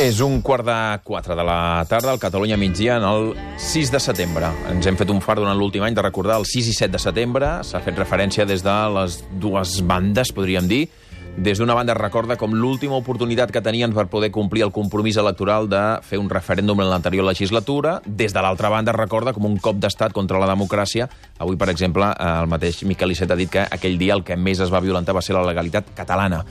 És 3:15 de la tarda, al Catalunya migdia, en el 6 de setembre. Ens hem fet un fart durant l'últim any de recordar el 6 i 7 de setembre. S'ha fet referència des de les dues bandes, podríem dir. Des d'una banda es recorda com l'última oportunitat que tenien per poder complir el compromís electoral de fer un referèndum en l'anterior legislatura. Des de l'altra banda es recorda com un cop d'estat contra la democràcia. Avui, per exemple, el mateix Miquel Iceta ha dit que aquell dia el que més es va violentar va ser la legalitat catalana.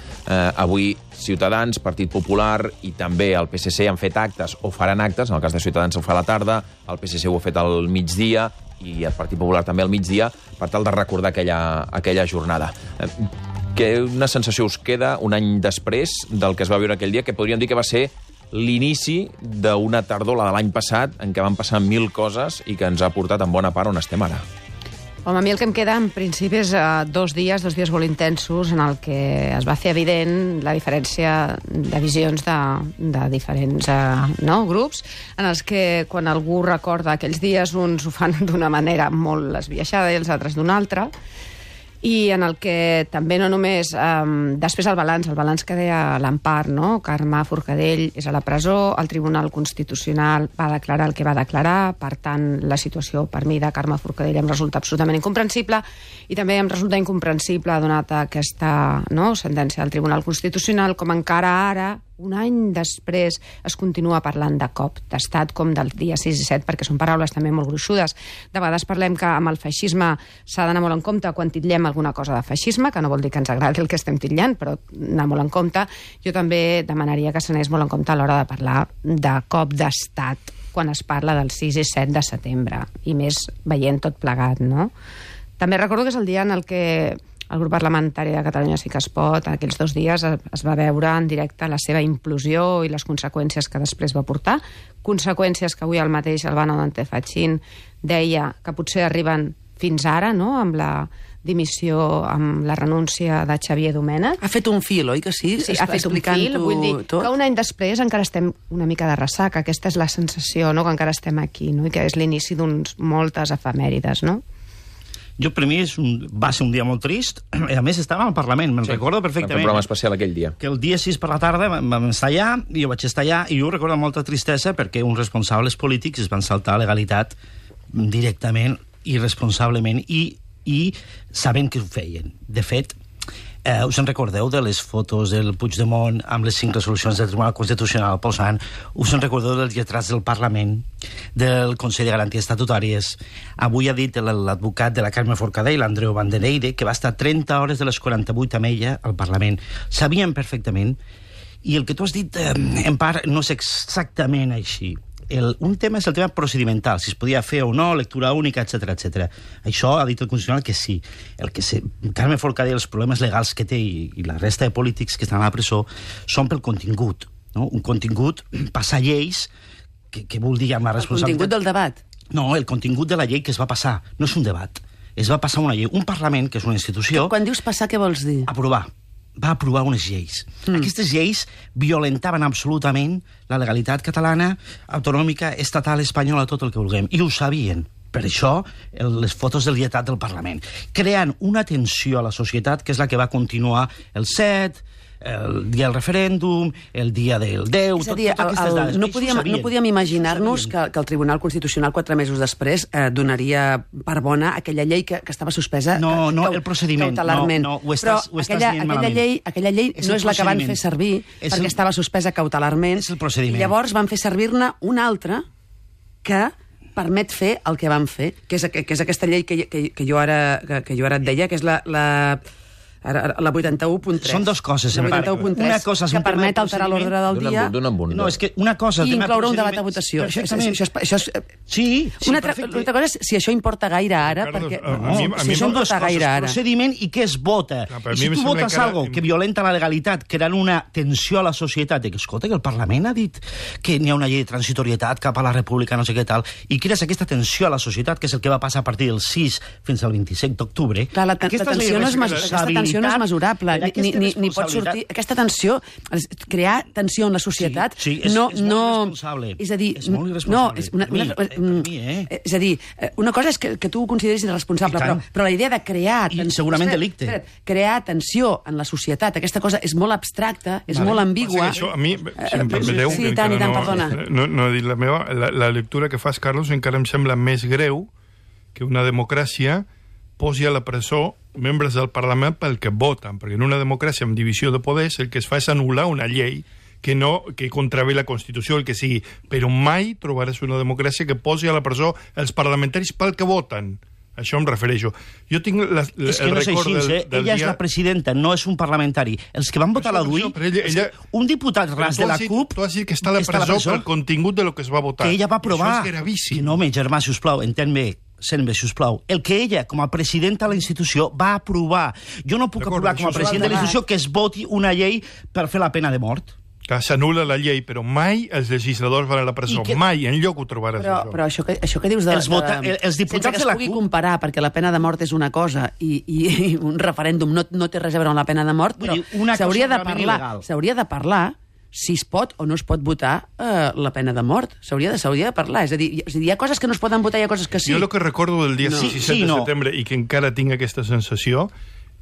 Avui Ciutadans, Partit Popular i també el PSC han fet actes o faran actes. En el cas de Ciutadans ho fa a la tarda, el PSC ho ha fet al migdia i el Partit Popular també al migdia, per tal de recordar aquella jornada. Una sensació us queda un any després del que es va viure aquell dia, que podríem dir que va ser l'inici d'una tardor, la de l'any passat, en què van passar 1000 coses i que ens ha portat en bona part on estem ara? Home, a mi el que em queda, en principi, és 2 dies molt intensos en el que es va fer evident la diferència de visions de diferents grups, en els que quan algú recorda aquells dies, uns ho fan d'una manera molt esbiaixada i els altres d'una altra, i en el que també no només... després el balanç que deia l'Empar, no? Carme Forcadell és a la presó, el Tribunal Constitucional va declarar el que va declarar, per tant, la situació per mi de Carme Forcadell em resulta absolutament incomprensible, i també em resulta incomprensible, donat aquesta sentència del Tribunal Constitucional, com encara ara, un any després, es continua parlant de cop d'estat, com del dia 6 i 7, perquè són paraules també molt gruixudes. De vegades parlem que amb el feixisme s'ha d'anar molt en compte quan titllem alguna cosa de feixisme, que no vol dir que ens agradi el que estem titllant, però anar molt en compte. Jo també demanaria que s'anés molt en compte a l'hora de parlar de cop d'estat, quan es parla del 6 i 7 de setembre, i més veient tot plegat, no? També recordo que és el dia en el que el grup parlamentari de Catalunya Sí que es pot, en aquells 2 dies es va veure en directe la seva implosió i les conseqüències que després va portar. Conseqüències que avui el mateix Albano Dante Fachin deia que potser arriben fins ara, no?, amb la dimissió, amb la renúncia de Xavier Domènech. Ha fet un fil, oi que sí? Sí, ha fet un fil, vull dir que un any després encara estem una mica de ressaca. Aquesta és la sensació, no?, que encara estem aquí, no?, i que és l'inici d'uns moltes efemèrides, no? Jo, per mi, va ser un dia molt trist. A més, estava al Parlament, me'n recordo perfectament. Un programa especial aquell dia. Que el dia 6 per la tarda vam estar allà, i jo vaig estar allà, i jo recordo molta tristesa perquè uns responsables polítics es van saltar la legalitat directament, irresponsablement, i sabent que ho feien. De fet, us en recordeu de les fotos del Puigdemont amb les 5 resolucions del Tribunal Constitucional posant? Us en recordeu dels lletrats del Parlament, del Consell de Garanties Estatutàries? Avui ha dit l'advocat de la Carme Forcadell, l'Andreu Vandeneire, que va estar 30 hores de les 48 amb ella al Parlament. Sabien perfectament, i el que tu has dit, en part, no és exactament així. Un tema és el tema procedimental, si es podia fer o no, lectura única, etc. Això ha dit el Constitucional que sí. Carme Forcadell, els problemes legals que té i la resta de polítics que estan a la presó són pel contingut, no? Un contingut, passar lleis, que vol dir amb la responsabilitat... El contingut del debat? No, el contingut de la llei que es va passar. No és un debat. Es va passar una llei. Un Parlament, que és una institució... Quan dius passar, què vols dir? Aprovar. Va aprovar unes lleis. Aquestes lleis violentaven absolutament la legalitat catalana, autonòmica, estatal, espanyola, tot el que vulguem. I ho sabien. Per això, les fotos del lletrat del Parlament. Creant una tensió a la societat, que és la que va continuar el 7, el dia del referèndum, el dia del 10... És a dir, no podíem imaginar-nos que el Tribunal Constitucional 4 mesos després donaria per bona aquella llei que estava suspesa el procediment. Cautelarment. No, ho estàs dient malament. Aquella llei no és la que van fer servir perquè estava suspesa cautelarment. És el procediment. I llavors van fer servir-ne una altra que permet fer el que van fer, que és aquesta llei que jo ara et deia, que és la 81.3. Són dues coses. La 81.3, que permet alterar l'ordre del dia. No, és que una cosa... I incloure un debat a votació. Sí. Una altra cosa és si això importa gaire ara, perquè... Si això importa gaire ara. Procediment i què es vota. I si tu votes algo que violenta la legalitat, creant una tensió a la societat, que escolta, que el Parlament ha dit que n'hi ha una llei de transitorietat cap a la república, no sé què tal, i crees aquesta tensió a la societat, que és el que va passar a partir del 6 fins al 27 d'octubre. La tensió no és tensió no és mesurable, ni pot responsabilitat... sortir... Aquesta tensió, crear tensió en la societat... Sí, és molt irresponsable. És a dir... És molt irresponsable. És a dir, una cosa és que tu ho consideris irresponsable, però la idea de crear... I segurament delicte. Crear tensió en la societat, aquesta cosa és molt abstracta, és molt ambigua... Això, a mi, si em permeteu, sí, tant, perdona. No he dit la meva, la lectura que fas, Carlos, encara em sembla més greu que una democràcia posi a la presó membres del Parlament pel que voten, perquè en una democràcia amb divisió de poders el que es fa és anul·lar una llei que contravé la Constitució, el que sigui, però mai trobaràs una democràcia que posi a la presó els parlamentaris pel que voten. Això em refereixo. Jo tinc el record del ella és la presidenta, no és un parlamentari. Els que van votar la DUI, un diputat ras de la CUP... Tu has dit que està a la presó pel contingut de lo que es va votar. Que ella va aprovar. Això és gravíssim. No, home, germà, sisplau, entén bé. Sent bé, sisplau. El que ella, com a presidenta de la institució, va aprovar. Jo no puc aprovar com a president de la institució que es voti una llei per fer la pena de mort. Que s'anul·la la llei, però mai els legisladors van a la presó. Mai, enlloc ho trobaràs. Però això que dius de... Els diputats de la CUP... Sense que es pugui comparar, perquè la pena de mort és una cosa i un referèndum no té res a veure amb la pena de mort, però s'hauria de parlar si es pot o no es pot votar la pena de mort. S'hauria de parlar. És a dir, hi ha coses que no es poden votar, hi ha coses que sí. Jo el que recordo del dia 6 i 7 de setembre, i que encara tinc aquesta sensació,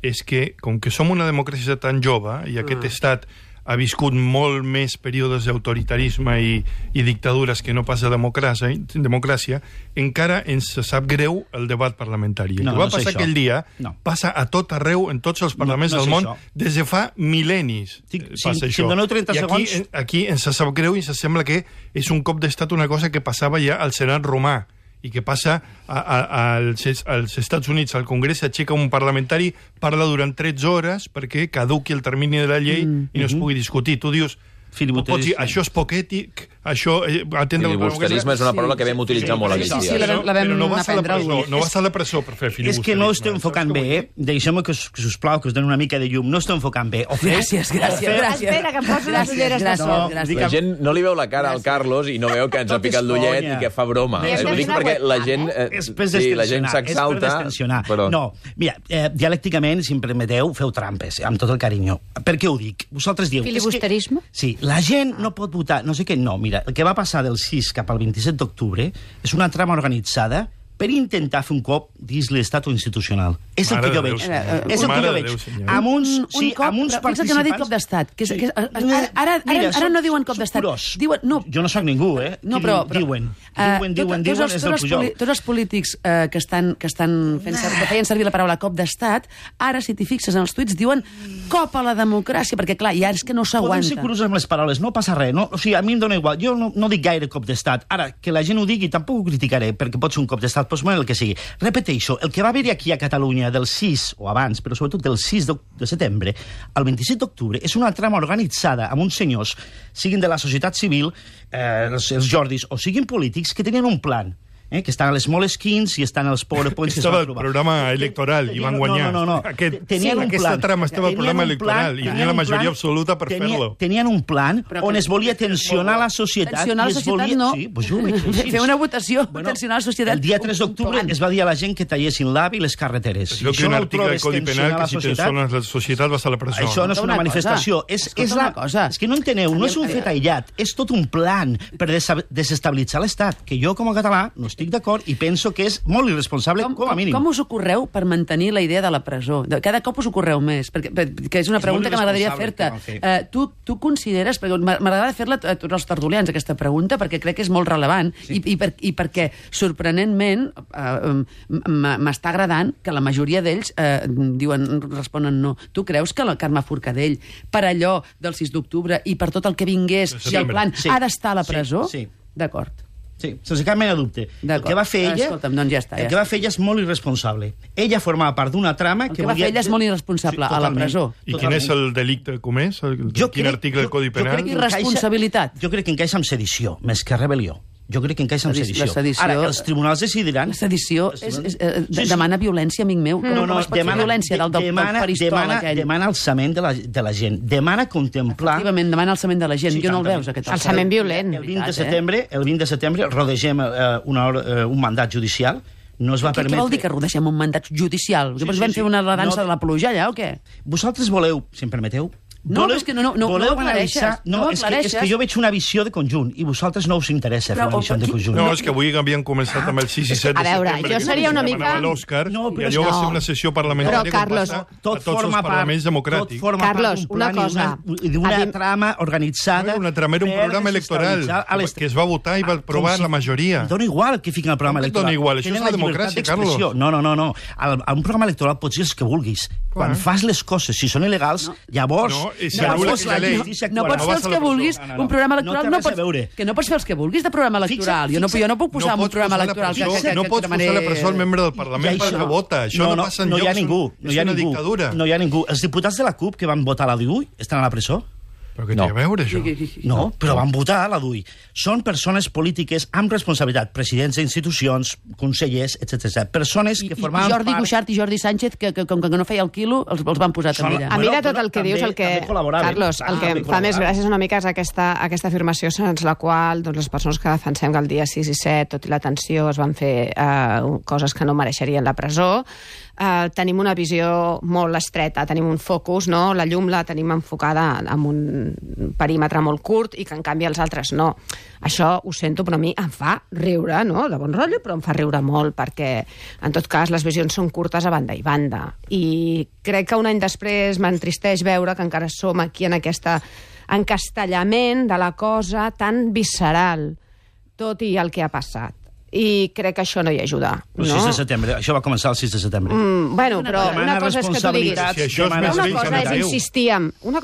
és que, com que som una democràcia tan jove, i aquest estat ha viscut molt més períodes d'autoritarisme i dictadures que no pas de democràcia, encara ens sap greu el debat parlamentari. El que va passar aquell dia passa a tot arreu, en tots els parlaments del món, des de fa mil·lennis. Passa això. I aquí ens sap greu i ens sembla que és un cop d'estat una cosa que passava ja al Senat romà, i que passa als Estats Units, al Congrés, s'aixeca un parlamentari, parla durant 13 hores perquè caduqui el termini de la llei i no es pugui discutir. Tu dius, això és poc ètic, això... Filibusterisme és una paraula que vam utilitzar molt aquests dies. Sí, la vam aprendre alguns. No vas a la presó per fer filibusterisme. És que no estem enfocant bé, deixem-me que us plau, que us doni una mica de llum, no estem enfocant bé. Gràcies. Espera, que em poso les ulleres de sol. La gent no li veu la cara al Carlos i no veu que ens ha picat l'ullet i que fa broma. Ho dic perquè la gent s'exalta. No, mira, dialècticament, si em permeteu, feu trampes, amb tot el carinyo. Per què ho dic? Vosaltres dieu... Filibusterisme? Sí, la gent no pot votar, no sé què, no, mira, el que va passar del 6 cap al 27 d'octubre és una trama organitzada per intentar fer un cop dins l'estat institucional. És el que jo veig. És el que jo veig. Amb uns participants... que no ha dit cop d'estat. Ara no diuen cop d'estat. Jo no soc ningú, eh? No, però... Diuen, és el Pujol. Tots els polítics que feien servir la paraula cop d'estat, ara, si t'hi fixes en els tuits, diuen cop a la democràcia, perquè, clar, ja és que no s'aguanta. Podem ser curosos amb les paraules, no passa res. O sigui, a mi em dóna igual. Jo no dic gaire cop d'estat. Ara, que la gent ho digui, tampoc ho criticaré, perquè pot ser un cop d'estat, doncs el que sigui. Repeteixo, el que va haver-hi aquí a Catalunya del 6, o abans, però sobretot del 6 de setembre, al 27 d'octubre, és una trama organitzada amb uns senyors, siguin de la societat civil, els Jordis, o siguin polítics, que tenien un plan. Que estan a les Moleskins i estan als PowerPoints que estava al programa electoral i van guanyar. No. Aquesta trama estava al programa electoral i tenia la majoria absoluta per fer-lo. Tenien un plan on es volia tensionar la societat. Tensionar la societat no. Fer una votació, tensionar la societat. El dia 3 d'octubre es va dir a la gent que tallessin l'AVE i les carreteres. Jo crec un article del Codi Penal que si tensiones la societat vas a la presó. Això no és una manifestació. És que no enteneu, no és un fet aïllat, és tot un plan per desestabilitzar l'Estat, que jo com a català no estic d'acord i penso que és molt irresponsable, com a mínim. Com us ocorreu per mantenir la idea de la presó? Cada cop us ocorreu més, perquè és una pregunta que m'agradaria fer-te. Tu consideres, perquè m'agradaria fer-la a tots els tertulians, aquesta pregunta, perquè crec que és molt rellevant i perquè, sorprenentment, m'està agradant que la majoria d'ells responen no. Tu creus que la Carme Forcadell, per allò del 6 d'octubre i per tot el que vingués del plan, ha d'estar a la presó? Sí. D'acord. Sí, sense cap mena de dubte. El que va fer ella, doncs ja està. El que va fer ella és molt irresponsable. Ella formava part d'una trama que va fer ella és molt irresponsable, a la presó. I quin és el delicte comès? Quin article del Codi Penal? Irresponsabilitat. Jo crec que encaixa amb sedició, més que rebel·lió. Jo crec que encaixa amb sedició. Ara, els tribunals decidiran... La sedició demana violència, amic meu. No, demana violència del faristol aquell. Demana alçament de la gent. Demana contemplar... Efectivament, demana alçament de la gent. Jo no el veus, aquest alçament violent. El 20 de setembre rodegem un mandat judicial no es va permetre... Què vol dir que rodeixem un mandat judicial? Sí, vam fer la dansa de la pluja allà o què? Vosaltres voleu, si em permeteu... No, és que no aclareixes. És que jo veig una visió de conjunt i vosaltres no us interessa fer una visió de conjunt. No, és que avui havíem començat amb el 6 i 7 de setembre. A veure, jo seria una mica... l'Òscar, i allò va ser una sessió parlamentària que passa a tots els parlaments democràtics. Carlos, una cosa... D'una trama organitzada... Una trama era un programa electoral que es va votar i va aprovar la majoria. Dóna igual que fiquen el programa electoral. Dóna igual, això és la democràcia, Carlos. No. A un programa electoral pots dir els que vulguis. Quan fas les coses, si són il·legals, llavors... No pots fer els que vulguis un programa electoral. Que no pots fer els que vulguis de programa electoral. Jo no puc posar un programa electoral que... No pots posar la presó al membre del Parlament perquè vota. Això no passa enlloc. És una dictadura. No hi ha ningú. Els diputats de la CUP que van votar la DUI estan a la presó? Però què té a veure, això? No, però van votar a la DUI. Són persones polítiques amb responsabilitat, presidents d'institucions, consellers, etc. Persones que formaven part... I Jordi Cuixart i Jordi Sánchez, que com que no feia el quilo, els van posar també allà. A mi de tot el que dius, Carlos, el que em fa més gràcia és una mica aquesta afirmació segons la qual les persones que defensem que el dia 6 i 7, tot i la tensió, es van fer coses que no mereixerien la presó. Tenim una visió molt estreta, tenim un focus, no? La llum la tenim enfocada amb un perímetre molt curt i que en canvi els altres no. Això ho sento, però a mi em fa riure, no? De bon rotllo, però em fa riure molt perquè en tot cas les visions són curtes a banda i banda i crec que un any després m'entristeix veure que encara som aquí en aquest encastellament de la cosa tan visceral, tot i el que ha passat. I crec que això no hi ajuda. El 6 de setembre, això va començar el 6 de setembre. Bueno, però una cosa és que tu diguis... Una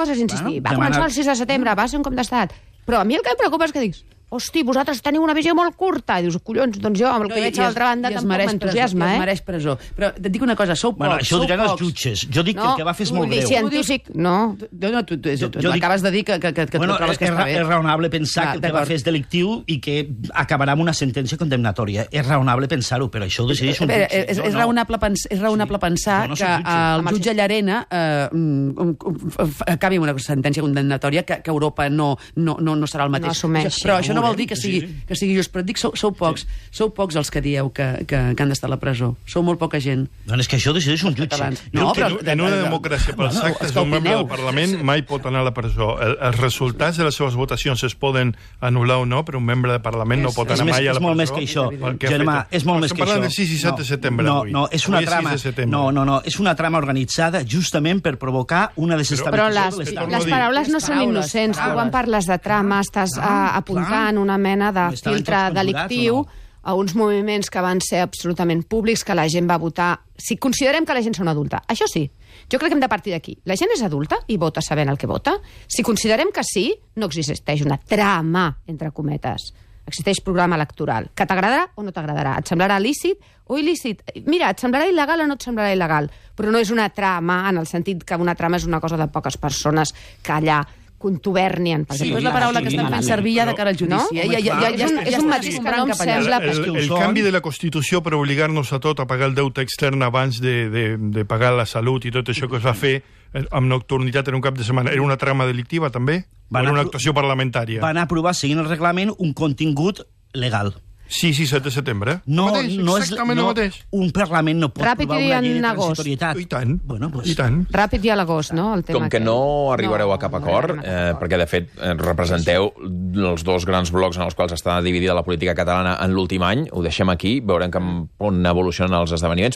cosa és insistir, va començar el 6 de setembre, va ser un cop d'estat. Però a mi el que em preocupa és que diguis, hosti, vosaltres teniu una visió molt curta. I dius, collons, doncs jo, amb el que veig a l'altra banda, tampoc m'entusiasma, es mereix presó. Però et dic una cosa, sou pocs. Bueno, això ho diran els jutges. Jo dic que el que va fer és molt greu. Científic, no. Tu acabes de dir que trobes que està bé. És raonable pensar que el que va fer és delictiu i que acabarà amb una sentència condemnatòria. És raonable pensar-ho, però això ho decideix un jutge. És raonable pensar que el jutge Llarena acabi amb una sentència condemnatòria que Europa no serà el mateix. Però això no vol dir que sigui just, però et dic, sou pocs els que dieu que han d'estar a la presó. Sou molt poca gent. Doncs és que això decideix un jutge. En una democràcia pels actes d'un membre del Parlament mai pot anar a la presó. Els resultats de les seves votacions es poden anul·lar o no, però un membre del Parlament no pot anar mai a la presó. És molt més que això, Germà, és molt més que això. Estem parlant del 6 i 7 de setembre avui. No, és una trama. No, és una trama organitzada justament per provocar una desestabilització de l'Estat. Però les paraules no són innocents. Tu quan parles de trama estàs apuntant una mena de filtre delictiu a uns moviments que van ser absolutament públics, que la gent va votar. Si considerem que la gent són adulta, això sí, jo crec que hem de partir d'aquí. La gent és adulta i vota sabent el que vota. Si considerem que sí, no existeix una trama, entre cometes. Existeix programa electoral. Que t'agradarà o no t'agradarà? Et semblarà lícit o il·lícit? Mira, et semblarà il·legal o no et semblarà il·legal? Però no és una trama, en el sentit que una trama és una cosa de poques persones que allà contubernien. Sí, és la paraula que estan fent servir ja de cara al judici. És un matís que no em sembla... El canvi de la Constitució per obligar-nos a tot a pagar el deute extern abans de pagar la salut i tot això que es va fer amb nocturnitat en un cap de setmana, era una trama delictiva també? O era una actuació parlamentària? Van aprovar, seguint el reglament, un contingut legal. 6 i 7 de setembre? No és exactament el mateix. Un Parlament no pot aprovar una llei de transitorietat. I tant. Bueno, pues, i tant. Ràpid i a l'agost, no? El tema com que no arribareu a cap acord, perquè de fet representeu els dos grans blocs en els quals està dividida la política catalana en l'últim any, ho deixem aquí, veurem com evolucionen els esdeveniments.